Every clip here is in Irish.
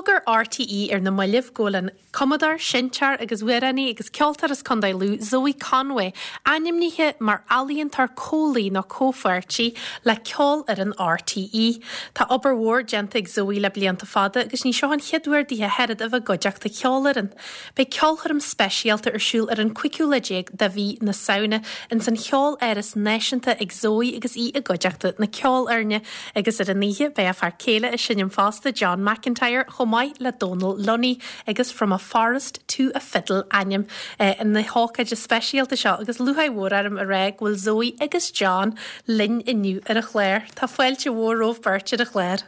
D'fhógair RTÉ ar na mallaibh go bhfuil an cumadóir, seinnteoir agus amhránaí agus ceoltóir as Contae Lú, Zoë Conway, ainmnithe mar ealaíontóir comhlaí nó comhpháirtí le Ceolfhoireann RTÉ. Tá obair mhór déanta ag Zoë le blianta fada agus ní seo an chéad uair dithe a oiread a bheith i gcuideachta cheolfhoireann. Beidh ceolchoirm speisialta ar siúl ar an 15ú lá de mhí na Samhna ins an Cheoláras Náisiúnta ag Zoë agus í i gcuideachta na ceolfhoirne agus ar an oíche beidh a fear céile ag seinm fosta, John McIntyre, chomh maith le Dónal Lunny agus From a Forest to a Fiddle ainm na hócáide speisialta seo agus lúcháir mhór orm a rá go bhfuil Zoë agus John linn inniu ar an chlár. Tá fáilte mhór romhaibh beirt ar an chlár.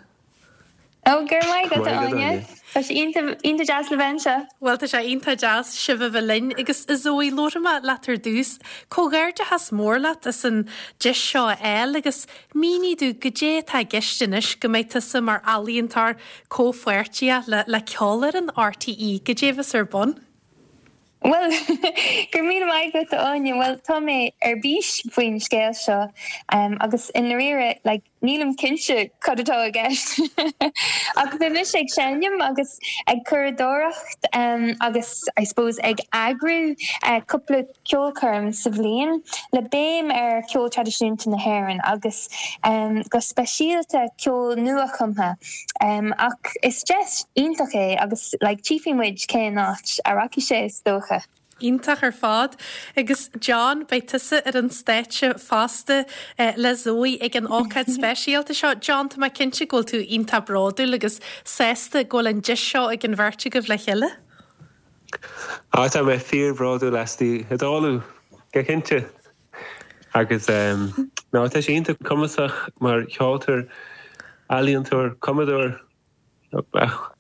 Ó, go raibh maith agat, a Áine. Tá sé iontach deas le bheith anseo. Bhuel, tá sé iontach deas sibh a bheith linn. Agus, a Zoë, labharfaidh mé leat ar dtús. Comhghairdeachas mór leat as an deis seo a fháil agus mínigh domh goidé atá i gceist anois go mbeidh tusa mar ealaíontóir comhpháirteach le le Ceolfhoireann RTÉ. Goidé a bheas ar bun? Bhuel, go raibh míle maith agat, a Áine. Bhuel, tá mé ar bís faoin scéal seo agus i ndáiríre, like, nílim cinnte cad atá i gceist. Ach beidh mise ag seinm agus ag curadóireacht agus, I suppose, ag eagrú cúpla ceolchoirm sa bhliain le béim ar cheol traidisiúnta na hÉireann agus go speisialta ceol nuachumtha. Ach is deis iontach é agus like tchífidh muid cén áit a rachaidh sé is dócha. Iontach ar fad. Agus John, beidh tusa ar an stáitse fosta le Zoë ag an ócáid speisialta seo. John, tá mé cinnte go bhfuil tú iontach bródúil agus sásta go bhfuil an deis seo ag an bheirt agaibh le chéile. Á, tá mé fíorbhródúil aisti, ag tarlú, go cinnte. Agus ná tá sí iontach cumasach mar cheoltóir, ealaíontóir, cumadóir.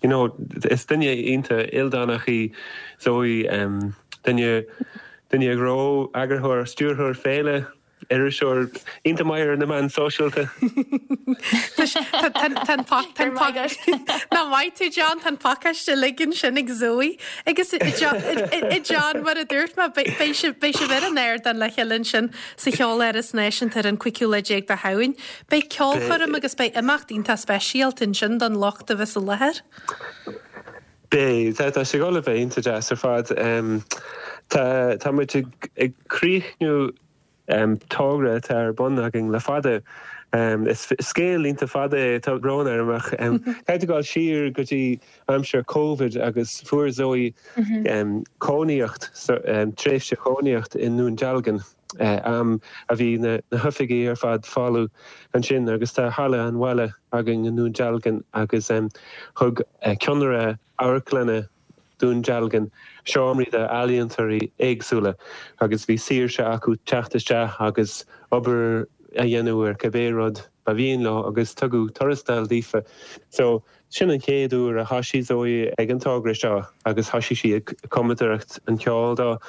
You know, is duine iontach ildánach í Zoë, duine, duine gnó, eagarthóir, stiúrthóir féile, iriseoir, iontach maith ar na meáin sóisialta. Nach maith tú John, tá an pacáiste uilig ansin ag Zoë. Agus a John, mar a dúirt mé, beidh sibh ar an ardán le chéile ansin sa Cheoláras Náisiúnta ar an 15ú lá de Shamhain. Beidh ceolchoirm agus beidh imeacht iontach speisialta ansin don lucht a bheas i láthair. Beidh, tá sé ag dul a bheith iontach deas ar fad. Tá muid ag críochnú togra atá ar bun againn le fada. Is scéal iontach fada é, tá brón orm ach caithfidh tú dul siar go dtí aimsir Covid agus fuair Zoë cónaíocht, tréimhse chónaíocht i nDún Dealgan, am a bhí na hoifigí ar fad folamh ansin agus tá halla an bhaile againn i nDún Dealgan agus thug ceannaire amharclainne Dún Dealgan seomraí d'ealaíontóirí éagsúla agus bhí saoirse acu teacht isteach agus obair a dhéanamh ar cibé rud ba mhian leo agus tugadh tuarastal daofa. So, sin an chéad uair a thosaigh Zoë ag an togra seo agus thosaigh sí ag cumadóireacht an cheoil dó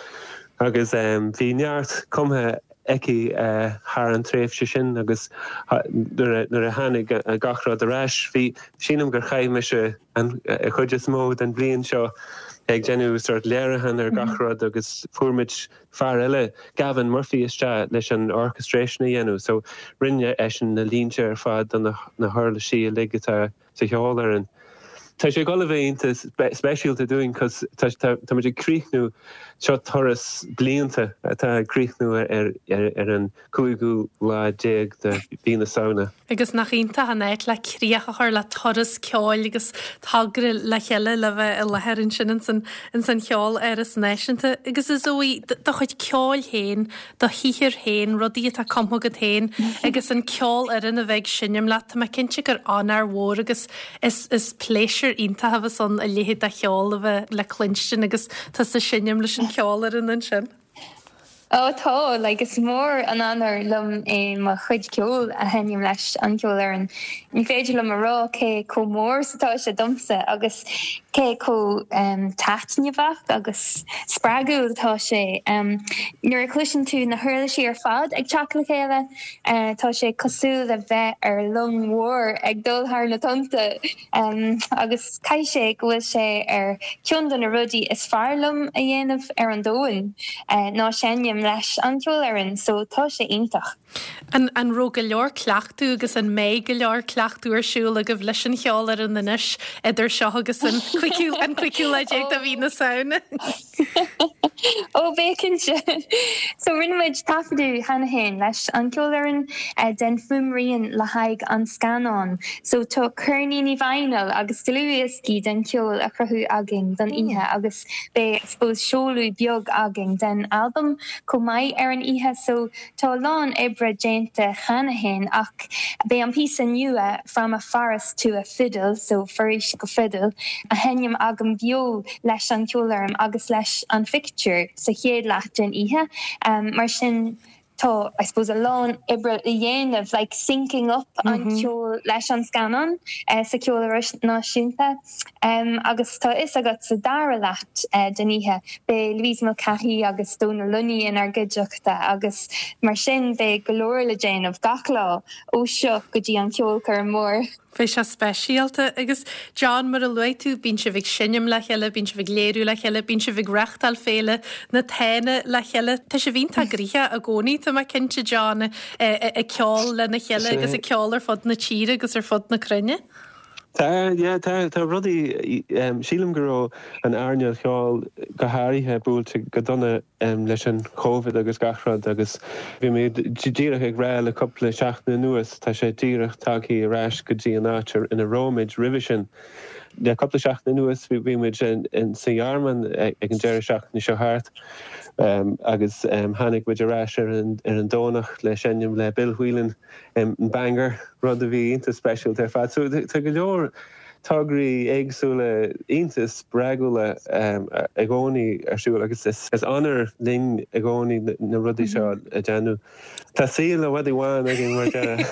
agus bhí neart cumtha aici thar an tréimhse sin agus nuair a tháinig gach rud ar ais, bhí, sílim gur chaith mise an chuid is mó den bhliain seo ag déanamh sort léiriúchán ar gach rud agus fuair muid fear eile, Gavin Murphy, isteach leis an orchestration a dhéanamh so rinne eisean na línte ar fad do na huirlisí uilig atá sa cheolfhoireann. Tá sé ag dul a bheith iontach speisialta dúinn cos tá muid ag críochnú, seo turas blianta atá ag críochnú ar ar an 15ú lá de mhí na Samhna. Agus nach iontach an áit le críoch a chur le turas ceoil agus togra le chéile le bheith i láthair ansin ins an Cheoláras Náisiúnta. Agus a Zoë, do chuid ceoil féin, do shaothar féin, rudaí atá cumtha agat féin agus an ceolfhoireann a bheith ag seinm leat, tá mé cinnte gur onóir mhór agus is is pléisiúr iontach a bheas ann a leithéid de cheol a bheith le cluinstin agus tusa ag seinm leis an cheolfhoireann ansin. Ó tá, like is mór an onóir liom é mo chuid ceoil a sheinm leis an cheolfhoireann. Ní féidir liom a rá cé chomh mór is atá sé domsa agus cé chomh taitneamhach agus spreagúil atá sé. Nuair a chloiseann tú na huirlisí ar fad ag teacht le chéile, tá sé cosúil le bheith ar long mhór ag dul thar na tonnta agus caithfidh sé go bhfuil sé ar cheann de na rudaí is fearr liom a dhéanamh ar an domhan ná seinm. seinm leis an cheolfhoireann so tá sé iontach. An an raibh go leor cleachtadh agus an mbeidh go leor cleachtadh ar siúl agaibh leis an cheolfhoireann anois idir seo agus an cuigiú an cuigiú lá déag de mhí na Samhna? Ó beidh cinnte. So rinne muid taifeadadh cheana féin leis an cheolfhoireann den fuaimrian le haghaidh an scannán. So tá ceirníní vinyl agus dlúthdhioscaí den cheol á chruthú againn don oíche agus beidh I suppose seoladh beag againn den albam chomh maith ar an oíche. So Tá a lán oibre déanta cheana féin ach beidh an píosa nua From a Forest to a Fiddle, so Foraois go Fidil, á sheinm agam beo leis an cheolfhoireann agus leis an phictiúr sa chéad leath den oíche. Mar sin tá, I suppose, a lán oibre le dhéanamh, like syncing up an ceol leis an scannán sa Cheoláras Náisiúnta. Agus tá a fhios agat sa dara leath den oíche beidh Louise Mulcahy agus Dónal Lunny inár gcuideachta agus mar sin beidh go leor le déanamh gach lá ó seo go dtí an ceolchoirm mór. Beidh sé speisialta. Agus John, mar a luaigh tú, bíonn sibh ag seinm le chéile, bíonn sibh ag léiriú le chéile, bíonn sibh ag reáchtáil Féile na Tána le chéile. Tá sibh iontach gnoitheach i gcónaí, tá mé cinnte, John, ag ceol lena chéile agus ag ceol ar fud na tíre agus ar fud na cruinne. Tá, yeah, tá, tá rudaí, sílim go raibh an earnáil cheoil go háirithe buailte go dona leis an Covid agus gach rud agus bhí mé díreach ag rá le cúpla seachtain anuas, tá sé díreach tagthaí ar ais go dtí an áit ina raibh muid roimhe sin. Le cúpla seachtain anuas bhí muid sa Ghearmáin ag an deireadh seachtaine seo thart agus tháinig muid ar ais ar an Domhnach le seinm le Bill Whelan. in Bangor, rud a bhí iontach speisialta ar fad. So tá go leor tograí éagsúla iontach spreagúla i gcónaí ar siúl agus is onóir linn i gcónaí na rudaí seo a déanamh. Tá saol i bhfad i bhfad againn mar deireadh.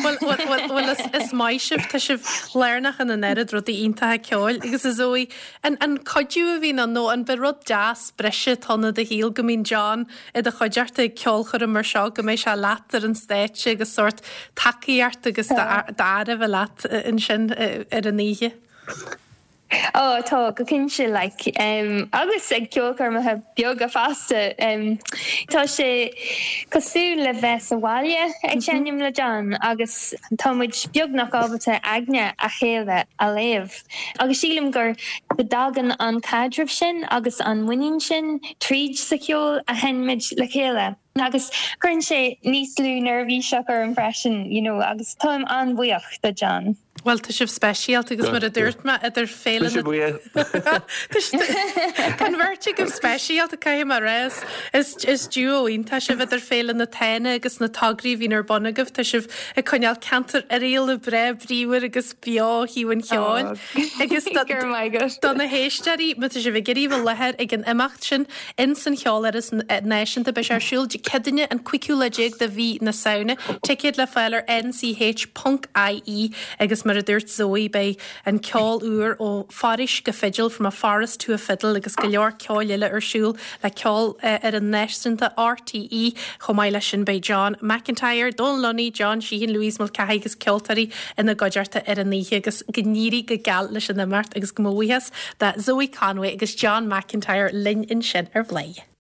Bhuel, bhuel, bhuel, is maith sibh, tá sibh lárnach in an oiread rudaí iontacha ceoil agus a Zoe, an an cuidiú a bhíonn ann nó an b'é rud deas breise atá ann i do shaol go mbíonn John i do chuideachta ag ceolchoirm mar seo, go mbeidh sé leat ar an stáitse agus sórt tacaíocht agus d'aire a bheith leat ansin ar an oíche. Ó tá, go cinnte, like, agus ag ceolchoirmeacha beaga fosta. Tá sé cosúil le bheith sa bhaile ag seinm le John agus tá muid beagnach ábalta aigne a chéile a léamh. Agus sílim gur go dtagann an caidreamh sin agus an muinín sin tríd sa cheol a sheinnimid le chéile. Agus cuireann sé níos lú neirbhíseach orm freisin, you know, agus táim an-bhuíoch do John. Bhuel, tá sibh speisialta agus mar a dúirt mé, idir Féile na. Tá an bheirt agaibh speisialta, caithfidh mé a rá. Is is duo iontach sibh idir Féile na Tána agus na tograí a bhíonn ar bun agaibh. Tá sibh ag coinneáil ceantar Oirialla breá bríomhar agus beo ó thaobh an cheoil. Agus do na héisteoirí, má tá sibh ag iarraidh a bheith i láthair ag an imeacht sin ins an Cheoláras Náisiúnta, beidh sé ar siúl Dé Céadaoine an 15ú lá de mhí na Samhna. Ticéid le fáil ar nch ponc ie agus mar a dúirt Zoe, beidh an ceol úr ó Foraois go Fidil, From a Forest to a Fiddle agus go leor ceoil eile ar siúl le Ceolfhoireann Náisiúnta RTÉ. Chomh maith leis sin beidh John McIntyre, Dónal Lunny, John Sheehan, Louise Mulcahy agus ceoltóirí ina gcuideachta ar an oíche agus go n-éirí go geal leis an imeacht agus mo bhuíochas do Zoe Conway agus John McIntyre linn ansin ar Bhladhaire.